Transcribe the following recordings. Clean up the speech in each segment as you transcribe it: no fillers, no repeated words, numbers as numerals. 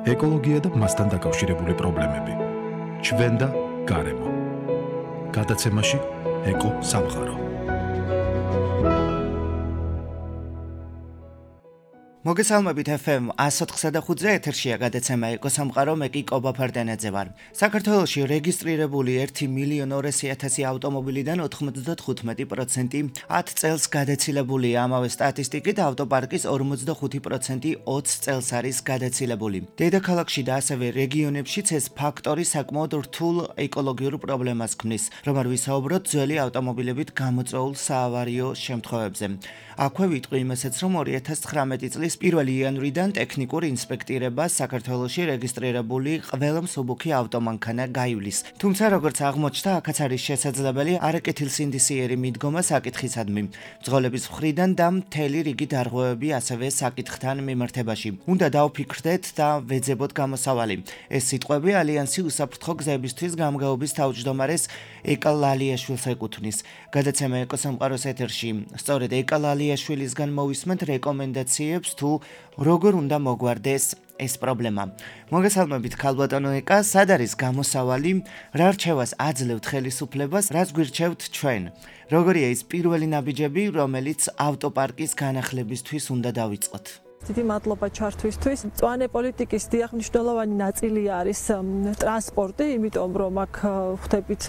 ეკოლოგია და მასთან დაკავშირებული პრობლემები. ჩვენ და გარემო. გადაცემაში ეკო სამყარო. მოგესალმებით FM 104.5-ზე ეთერშია გადაცემა ეკო სამყარო, მე კი კობა ფარდანაძე ვარ. საქართველოში რეგისტრირებული 1.200.000 ავტომობილიდან 95% 10 წელს გადაცილებულია. ამავე სტატისტიკით ავტოპარკის 45% 20 წელს არის გადაცილებული. დედაქალაქში და ასევე რეგიონებშიც ეს ფაქტორი საკმაოდ რთულ ეკოლოგიურ პრობლემას ქმნის, რომ არ ვისაუბროთ ძველი ავტომობილებით გამოწვეულ საავარიო შემთხვევებზე. აქვე ვიტყვი იმასაც, რომ 2019 წლის 1 იანვრიდან ტექნიკურ ინსპექტირებას საქართველოში რეგისტრირებული ყველა მსუბუქი ავტომანქანა გაივლის. თუმცა როგორც აღმოჩნდა, აქაც არის შესაძლებელი არაკეთილსინდისიერი მიდგომა საკითხისადმი, მძღოლების მხრიდან და მთელი რიგი დარღვევები ასევე საკითხთან მიმართებაში. უნდა დავფიქრდეთ და ვეძებოთ გამოსავალი. ეს სიტყვები ალიანსი უსაფრთხო გზებისთვის გამგეობის თავმჯდომარეს ეკა ლალიაშვილს ეკუთვნის. გადაცემა ეკო სამყაროს ეთერში სწორედ ეკა ლალიაშვილისგან მოვისმენთ რეკომენდაციებს თუ როგორ უნდა მოგვარდეს ეს პრობლემა. მოგესალმებით ქალბატონო ეკა, სად არის გამოსავალი, რა რჩევას აძლევთ ხელისუფლებას, რაც გვირჩევთ ჩვენ? როგორია ის პირველი ნაბიჯები, რომელიც ავტოპარკის განახლებისთვის უნდა დავიწყოთ? დიდი მადლობა ჩართვისთვის. მწვანე პოლიტიკის დიახ მნიშვნელოვანი ნაწილი არის ტრანსპორტი, იმიტომ რომ აქ ხვდებით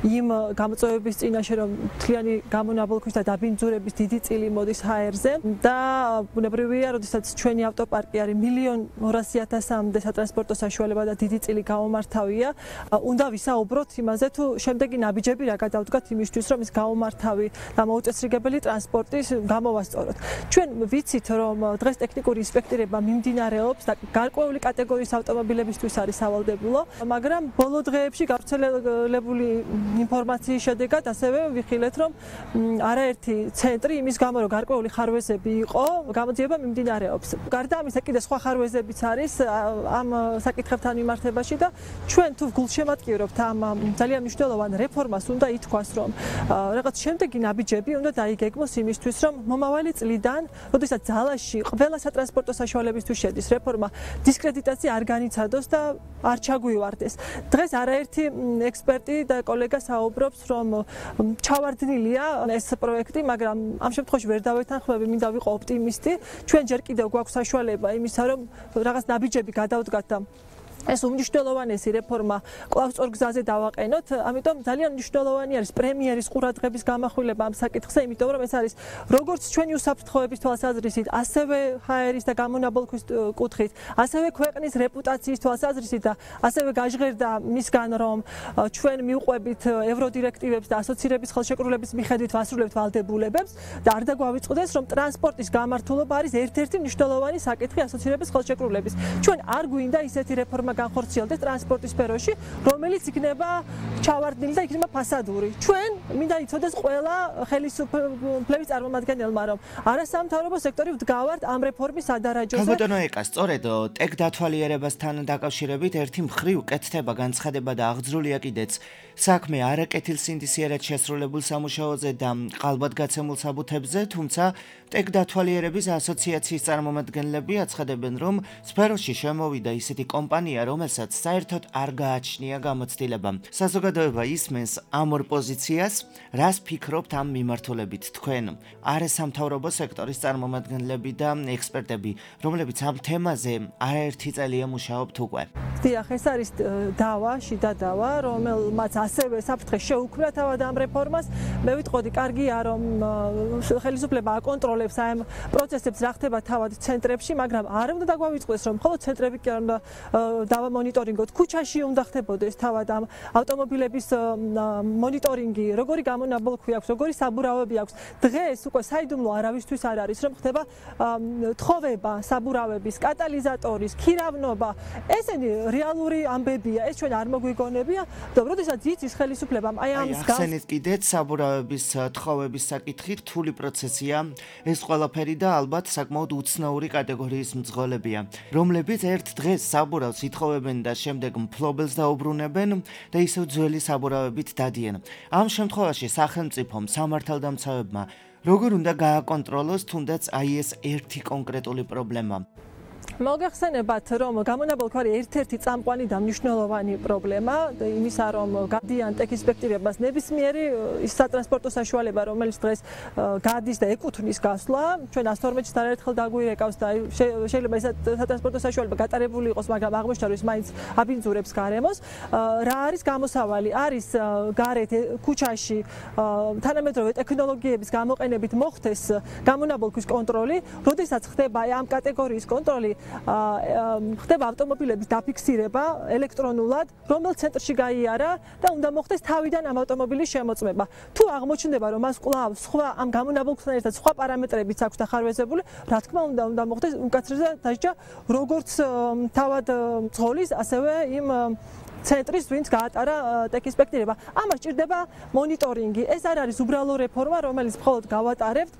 იმ გამოწვევების წინაშე, რომ მთლიანი გამონაბოლქვის და დაბინძურების დიდი წილი მოდის ჰაერზე და ბუნებრივია, როდესაც ჩვენი ავტოპარკი არის 1.200.000-მდე სატრანსპორტო საშუალება და დიდი წილი გამომართავია, უნდა ვისაუბროთ იმაზე, თუ შემდეგი ნაბიჯები რა გადავდგათ იმისთვის, რომ ის გამომართავი და მოუწესრიგებელი ტრანსპორტის გამოვასწოროთ. ჩვენ ვიცით, რომ დღეს ტექნიკური ინსპექტირება მიმდინარეობს და გარკვეული კატეგორიის ავტომობილებისთვის არის სავალდებულო, მაგრამ ბოლო დღეებში გავრცელებული ინფორმაციის შედეგად ასევე ვიხილეთ, რომ არაერთი ცენტრი იმის გამო, რომ გარკვეული ხარვეზები იყო, გამოძიება მიმდინარეობს. გარდა ამისა, კიდე სხვა ხარვეზებიც არის ამ საკითხებთან მიმართებაში და ჩვენ თუ გულშემატკივრობთ ამ ძალიან მნიშვნელოვან რეფორმას, უნდა ითქვას, რომ რაღაც შემდეგი ნაბიჯები უნდა დაიგეგმოს იმისთვის, რომ მომავალი წლიდან, როდესაც ძალაში ყველა სატრანსპორტო საშუალებისთვის შედის რეფორმა, დისკრედიტაცია არ განიცადოს და არ ჩაგვივარდეს. დღეს არაერთი ექსპერტი და კოლეგა საუბრობს, რომ ჩავარდნილია ეს პროექტი, მაგრამ ამ შემთხვევაში ვერ დავეთანხმები, მინდა ვიყო ოპტიმისტი. ჩვენ ჯერ კიდევ გვაქვს საშუალება იმისა, რომ რაღაც ნაბიჯები გადავდგათ და ეს უმნიშვნელოვანესი რეფორმა კვლავ სწორ გზაზე დავაყენოთ, ამიტომ ძალიან მნიშვნელოვანი არის პრემიერის ყურადღების გამახვილება ამ საკითხზე, იმიტომ რომ ეს არის როგორც ჩვენი უსაფრთხოების თვალსაზრისით, ასევე ჰაერის და გამონაბოლქვის კუთხით, ასევე ქვეყნის რეპუტაციის თვალსაზრისით და ასევე გაჟღერდა მისგან, რომ ჩვენ მივყვებით ევროდირექტივებს და ასოცირების ხელშეკრულების მიხედვით ვასრულებთ ვალდებულებებს და არ დაგვავიწყდეს, რომ ტრანსპორტის გამართულობა არის ერთ-ერთი მნიშვნელოვანი საკითხი ასოცირების ხელშეკრულების. ჩვენ არ გვინდა ისეთი რეფორმა განხორციელდეს ტრანსპორტის სფეროში, რომელიც იქნება ჩავარდნილი და იქნება ფასადური. ჩვენ მინდა იცოდეს ყველა ხელისუფლების წარმომადგენელმა, რომ არასამთავრობო სექტორი ვდგავართ ამ რეფორმის ადარაჯოზე. ქალბატონო ეკა, სწორედ ტექ დათვალიერებასთან დაკავშირებით ერთი მხრივ კეთდება განცხადება და აღძრულია კიდეც საქმე არაკეთილსინდისიერად შესრულებულ სამუშაოზე და ყალბად გაცემულ საბუთებზე, თუმცა ტექ დათვალიერების ასოციაციის წარმომადგენლები აცხადებენ, რომ სფეროში შემოვიდა ისეთი კომპანია, რომელსაც საერთოდ არ გააჩნია გამოცდილება. საზოგადოება ისმენს ამ ორ პოზიციას, რას ფიქრობთ ამ მიმართულებით თქვენ, არასამთავრობო სექტორის წარმომადგენლები და ექსპერტები, რომლებიც ამ თემაზე არაერთი წელია მუშაობთ უკვე? დიახ, ეს არის დავა, შიდა დავა, რომელმაც ასევე საფრთხე შეუქმნა თავად ამ რეფორმას. მე ვიტყოდი, კარგია, რომ ხელისუფლება აკონტროლებს ამ პროცესებს, რა ხდება თავად ცენტრებში, მაგრამ არ უნდა დაგვავიწყდეს, რომ მხოლოდ ცენტრები კი არ უნდა დავამონიტორინგოთ, ქუჩაში უნდა ხდებოდეს თავად ამ ავტომობილების მონიტორინგი, როგორი გამონაბოლქვი აქვს, როგორი საბურავები აქვს. დღეს უკვე საიდუმლო არავისთვის არ არის, რომ ხდება თხოვება საბურავების, კატალიზატორის, ქირავნობა. ესენი რეალური ამბებია, ეს ჩვენ არ მოგვიგონებია და როდესაც იცის ხელისუფლებამ აი ამის ახსენეთ კიდეც საბურავების თხოვების საკითხი რთული პროცესია, ეს ყველაფერი და ალბათ საკმაოდ უცნაური კატეგორიის მძღოლებია, რომლებიც ერთ დღეს საბურავს ითხოვებენ და შემდეგ მფლობელს დაუბრუნებენ და ისევ ძველი საბურავებით დადიან. ამ შემთხვევაში სახელმწიფომ, სამართალდამცავებმა როგორ უნდა გააკონტროლოს თუნდაც აი ეს ერთი კონკრეტული პრობლემა? მოგეხსენებათ, რომ გამონაბოლქვი არის ერთ-ერთი წამყვანი და მნიშვნელოვანი პრობლემა იმისა, რომ გადიან ტექისპექტირებას ნებისმიერი ის სატრანსპორტო საშუალება, რომელიც დღეს გადის და ეკუთვნის გასვლა, ჩვენ 112-ში არაერთხელ დაგვირეკავს და შეიძლება ეს სატრანსპორტო საშუალება გატარებული იყოს, მაგრამ აღმოჩნდა, რომ ის მაინც აბინძურებს გარემოს. რა არის გამოსავალი? არის გარეთ ქუჩაში თანამედროვე ტექნოლოგიების გამოყენებით მოხდეს გამონაბოლქვის კონტროლი, როდესაც ხდება ამ კატეგორიის კონტროლი, ხდება ავტომობილების დაფიქსირება ელექტრონულად, რომელ ცენტრში გაიარა და უნდა მოხდეს თავიდან ამ ავტომობილის შემოწმება. თუ აღმოჩნდება, რომ მას კვლავ სხვა ამ გამონაბოლქვასთან ერთად სხვა პარამეტრებიც აქვს დახარვეზებული, რა თქმა უნდა მოხდეს უკაცრიელად დასჯა როგორც თავად მძღოლის, ასევე იმ ცენტრის, ვინც გაატარა ტექისპექტირება. ამას ჭირდება მონიტორინგი. ეს არ არის უბრალო რეფორმა, რომელიც მხოლოდ გავატარებთ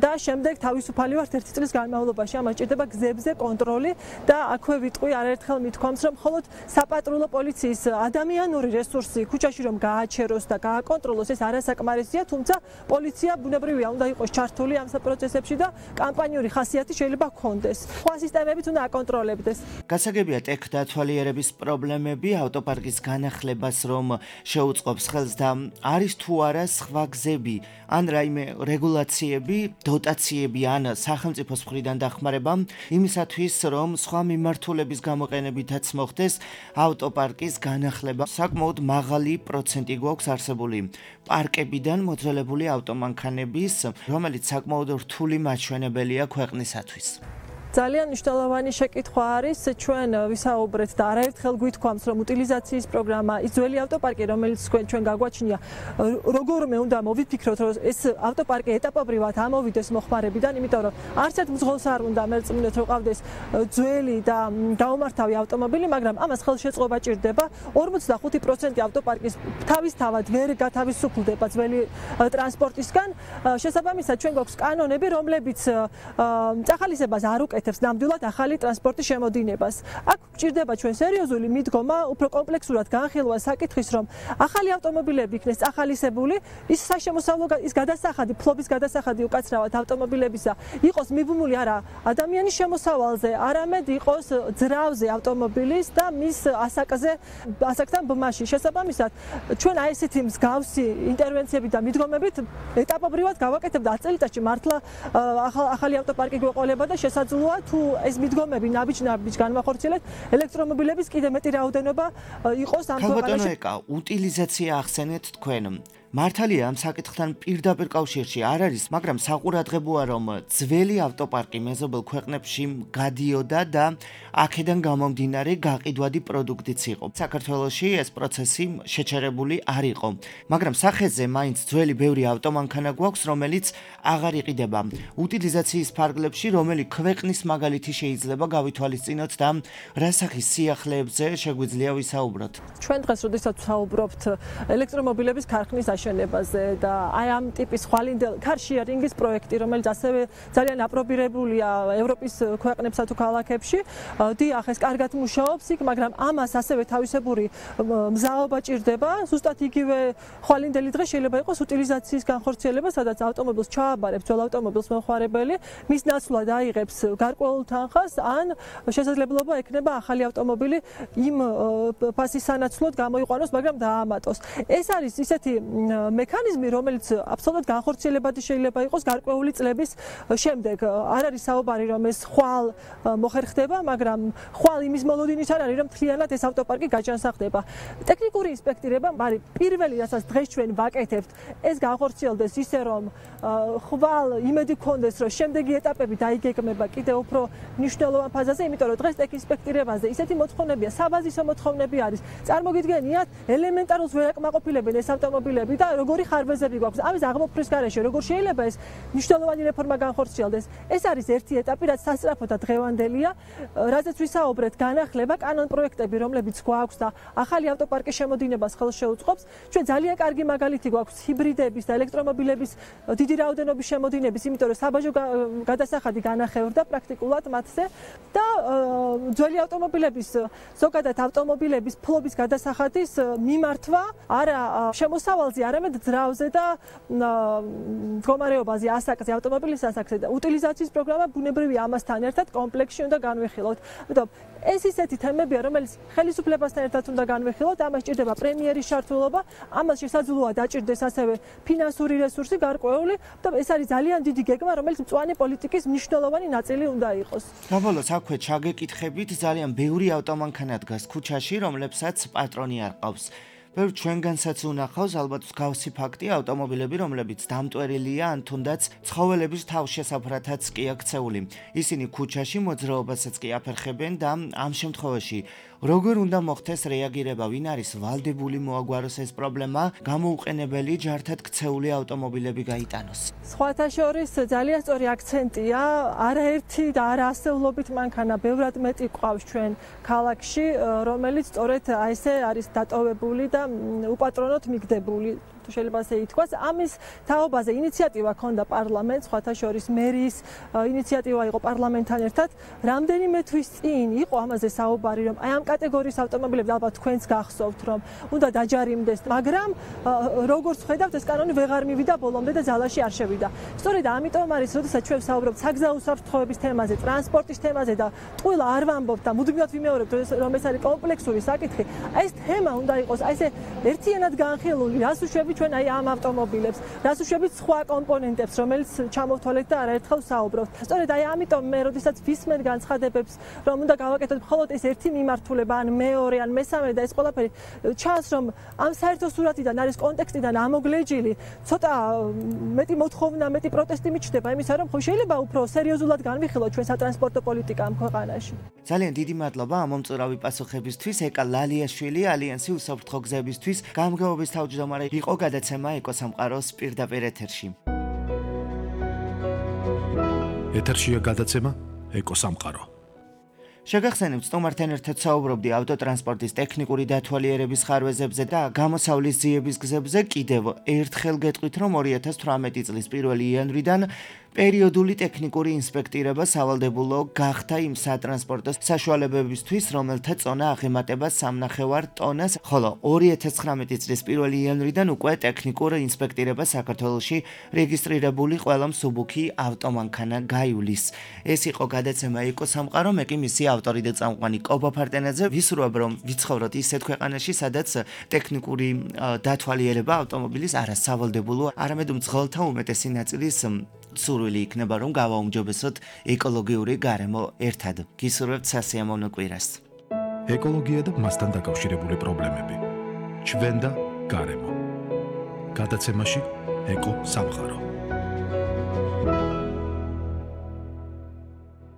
და შემდეგ თავისუფალი ვართ 1 წლის განმავლობაში. ამას ჭირდება გზებზე კონტროლი და აქვე ვიტყვი არაერთხელ მithქვამს, რომ მხოლოდ საპატრულო პოლიციის ადამიანური რესურსი ქუჩაში რომ გააჩეროს და გააკონტროლოს, ეს არასაკმარისია, თუმცა პოლიცია ბუნებრივია უნდა იყოს ჩართული ამ პროცესებში და კამპანიური ხასიათი შეიძლება ჰქონდეს. სხვა სისტემებიც უნდა აკონტროლებდეს. გასაგებია ტექ დათვალიერების პრობლემები ავტოპარკის განახლებას რომ შეუწყობს ხელს და არის თუ არა სხვა გზები ან რაიმე რეგულაციები, დოტაციები ან სახელმწიფოს მხრიდან დახმარება იმისათვის რომ სხვა მიმართულების გამოყენებითაც მოხდეს ავტოპარკის განახლება. საკმაოდ მაღალი პროცენტი გვაქვს არსებული პარკებიდან მოძველებული ავტომანქანების, რომელიც საკმაოდ რთული მაჩვენებელია ქვეყნისათვის. ძალიან მნიშვნელოვანი შეკითხვა არის, ჩვენ ვისაუბრეთ და არაერთხელ გვითქვამს, რომ უტილიზაციის პროგრამა, ის ძველი ავტოპარკი, რომელიც ჩვენ გაგვაჩნია, როგორმე უნდა მოვიფიქროთ, რომ ეს ავტოპარკი ეტაპობრივად ამოვიდეს მოხმარებიდან, იმიტომ რომ არც ერთ მძღოლს არ უნდა მერწმუნეთ, რომ ყავდეს ძველი და გაუმართავი ავტომობილი, მაგრამ ამას ხელშეწყობა ჭირდება. 45% ავტოპარკის თავისთავად ვერ გათავისუფლდება ძველი ტრანსპორტისგან. შესაბამისად, ჩვენ გვაქვს კანონები, რომლებიც წახალისებას არ უკეთებს ნამდვილად ახალი ტრანსპორტის შემოდინებას. აქ გჭირდება ჩვენ სერიოზული მიდგომა, უფრო კომპლექსურად განხილვა საკითხის, რომ ახალი ავტომობილები იქნეს წახალისებული, ის საშემოსავლო ის გადასახადი, ფლობის გადასახადი უკაცრავად ავტომობილებისა იყოს მიბმული არა ადამიანის შემოსავალზე, არამედ იყოს ძრავზე ავტომობილის და მის ასაკთან ბმაში. შესაბამისად, ჩვენ აი ესეთი მსგავსი ინტერვენციები და მიდგომებით ეტაპობრივად გავაკეთებთ 10 წელიწადში მართლა ახალი ავტოპარკი გვეყოლება და შესაძლოა თუ ეს მიდგომები ნაბიჯ განვახორციელეთ, ელექტრომობილების კიდე მეტი რაოდენობა იყოს ამ ქვეყანაში. ქალბატონო, უტილიზაცია ახსენეთ თქვენ. მართალია ამ საკითხთან პირდაპირ კავშირში არ არის, მაგრამ საყურადღებოა რომ ძველი ავტოპარკი მეზობელ ქვეყნებში გადიოდა და აქედან გამომდინარე გაყიდვადი პროდუქტიც იყო. საქართველოში ეს პროცესი შეჩერებული არ იყო, მაგრამ სახეზე მაინც ძველი ბევრი ავტომანქანა გვაქვს, რომელიც აღარ იყიდება. უტილიზაციის ფარგლებში რომელი ქვეყნის მაგალითი შეიძლება გავითვალისწინოთ და რა სახის სიახლეებზე შეგვიძლია ვისაუბროთ? ჩვენ დღეს როდესაც ვსაუბრობთ ელექტრომობილების ქარხნის აშენებაზე და აი ამ ტიპის ხვალინდელ კარშიარინგის პროექტი, რომელიც ასევე ძალიან აპრობირებულია ევროპის ქვეყნებსა თუ ქალაქებში, დიახ, ეს კარგად მუშაობს იქ, მაგრამ ამას ასევე თავისებური მზაობა ჭირდება. ზუსტად იგივე ხვალინდელი დღე შეიძლება იყოს უტილიზაციის განხორციელება, სადაც ავტომობილს ჩააბარებს ძველ ავტომობილს მომხმარებელი, მის ნაცვლად აიღებს გარკვეულ თანხას, ან შესაძლებლობა ექნება ახალი ავტომობილი იმ ფასის სანაცვლოდ გამოიყვანოს, მაგრამ დაამატოს. ეს არის ისეთი მექანიზმი, რომელიც აბსოლუტურად განხორციელებადი შეიძლება იყოს გარკვეული წლების შემდეგ. არ არის საუბარი, რომ ეს ხვალ მოხერხდება, მაგრამ ხვალ იმის მოლოდინით არ არის, რომ მთლიანად ეს ავტოპარკი გაჯანსაღდება. ტექნიკური ინსპექტირება არის პირველი, რასაც დღეს ჩვენ ვაკეთებთ, ეს განხორციელდეს ისე, რომ ხვალ იმედი გქონდეს, რომ შემდეგი ეტაპები დაიგეგმება კიდევ უფრო მნიშვნელოვან ფაზაზე, იმიტომ რომ დღეს ტექინსპექტირებაზე ისეთი მოთხოვნებია, საბაზისო მოთხოვნები არის. წარმოგიდგენიათ, ელემენტარულ ვერ აკმაყოფილებენ ეს ავტომობილები და როგორი ხარბეზები გვაქვს. ამის აღმოფხრის გარეშე როგორ შეიძლება ეს მნიშვნელოვანი რეფორმა განხორციელდეს? ეს არის ერთი ეტაპი, რაც სასწრაფო და დღევანდელია, რაზეც ვისაუბრეთ, განახლება, კანონ პროექტები, რომლებიც გვაქვს და ახალი ავტოპარკის შემოდინებას ხელს შეუწყობს. ჩვენ ძალიან კარგი მაგალითი გვაქვს ჰიბრიდების და ელექტრომობილების დიდი რაოდენობის შემოდინების, იმიტომ რომ საბაჟო გადასახადი განახევრდა პრაქტიკულად მათზე და ძველი ავტომობილების, ზოგადად ავტომობილების ფლობის გადასახადის მიმართვა არა შემოსავალზე არამედ ძრავზე და მდგომარეობაზე, ასაკზე, ავტომობილის ასაკზე და უტილიზაციის პროგრამა ბუნებრივია ამასთან ერთად კომპლექსში უნდა განვიხილოთ. ამიტომ ეს ისეთი თემებია, რომელიც ხელისუფლებასთან ერთად უნდა განვიხილოთ, ამას სჭირდება პრემიერის ჩართულობა, ამას შესაძლოა დაჭირდეს ასევე ფინანსური რესურსი გარკვეული, და ეს არის ძალიან დიდი გეგმა, რომელიც მწვანე პოლიტიკის მნიშვნელოვანი ნაწილი უნდა იყოს. საბოლოოდ აქვე ჩაგეკითხებით, ძალიან ბევრი ავტომანქანა დგას ქუჩაში, რომლებსაც პატრონი არ ყავს. ბევრ ჩვენგანსაც უნახავს ალბათ მსგავსი ფაქტი ავტომობილები, რომლებიც დამტვერილია ან თუნდაც ცხოველების თავშესაფრათაც კი აქცეული. ისინი ქუჩაში მოძრაობასაც კი აფერხებენ და ამ შემთხვევაში როგორ უნდა მოხდეს რეაგირება, ვინ არის ვალდებული მოაგვაროს ეს პრობლემა, გამოუყენებელი ჯართად ქცეული ავტომობილები გაიტანოს. სხვათა შორის ძალიან სწორი აქცენტია, არაერთი და არაასეულობით მანქანა ბევრად მეტი ყავს ჩვენ ქალაქში, რომელიც სწორედ ესე არის დატოვებული და უპატრონოდ მიგდებული. შეიძლება ასე ითქვას. ამის თაობაზე ინიციატივა ჰქონდა პარლამენტს, სხვათა შორის მერიის ინიციატივა იყო პარლამენტთან ერთად. რამდენიმე თვის წინ იყო ამაზე საუბარი, რომ აი ამ კატეგორიის ავტომობილები ალბათ თქვენს გახსოვთ, რომ უნდა დაჯარიმდეს, მაგრამ როგორც ხედავთ, ეს კანონი ვეღარ მივიდა ბოლომდე და ძალაში არ შევიდა. სწორედ ამიტომ არის, როდესაც ჩვენ ვსაუბრობთ საგზაო უსაფრთხოების თემაზე, ტრანსპორტის თემაზე და ტყუილა არ ვამბობთ და მუდმივად ვიმეორებთ, რომ ეს არის კომპლექსური საკითხი, ეს თემა უნდა იყოს აი ესე ერთიანად განხილული, რას უშვებით ჩვენ აი ამ ავტომობილებს, რას უშვებით სხვა კომპონენტებს, რომელიც ჩამოვთვალეთ და არაერთხელ ვსაუბრობთ. სწორედ აი ამიტომ მე როდესაც ვისმენ განცხადებებს, რომ უნდა გავაკეთოთ მხოლოდ ეს ერთი მიმართულება, ან მეორე, ან მესამე და ეს ყველაფერი, ჩანს რომ ამ საერთო სურათიდან არის კონტექსტიდან ამოგლეჯილი, ცოტა მეტი მოთხოვნა, მეტი პროტესტი მიჩნდება იმისა, რომ ხო შეიძლება უფრო სერიოზულად განვიხილოთ ჩვენ სატრანსპორტო პოლიტიკა ამ ქვეყანაში. ძალიან დიდი მადლობა ამ მომწურავი პასუხებისთვის. ეკა ლალიაშვილი, ალიანსი უსაფრთხო გზებისთვის გამგეობის თავმჯდომარე იყო გადაცემა ეკოსამყაროს პირდაპირ ეთერში. ეთერშია გადაცემა ეკოსამყარო. შეგახსენებთ, სტუმართან ერთად საუბრობდი ავტოტრანსპორტის ტექნიკური დათვალიერების ხარვეზებზე და გამოსავლის ძიების გზებზე. კიდევ ერთხელ გეტყვით, რომ 2018 წლის 1 იანვრიდან პერიოდული ტექნიკური ინსპექტირება სავალდებულო გახდა იმ სატრანსპორტო საშუალებებისთვის, რომელთა წონა აღემატება 3.5 ტონას, ხოლო 2019 წლის 1 იანვრიდან უკვე ტექნიკურ ინსპექტირება საქართველოში რეგისტრირებული ყველა მსუბუქი ავტომანქანა გაივლის. ეს იყო გადაცემა ეკოსამყარო, მე კი მისი ავტორი და წამყვანი კობა ფარტენაძე. ვისურვებ, რომ ვიცხოვროთ ისეთ ქვეყანაში, სადაც ტექნიკური დათვალიერება ავტომობილის არასავალდებულო, არამედ მძღოლთა უმეტესი ნაწილის სურვილი იქნება, რომ გავაუმჯობესოთ ეკოლოგიური გარემო ერთად. გისურვებთ სასიამოვნო კვირას. ეკოლოგია და მასთან დაკავშირებული პრობლემები. ჩვენ და გარემო. გადაცემაში ეკო სამყარო.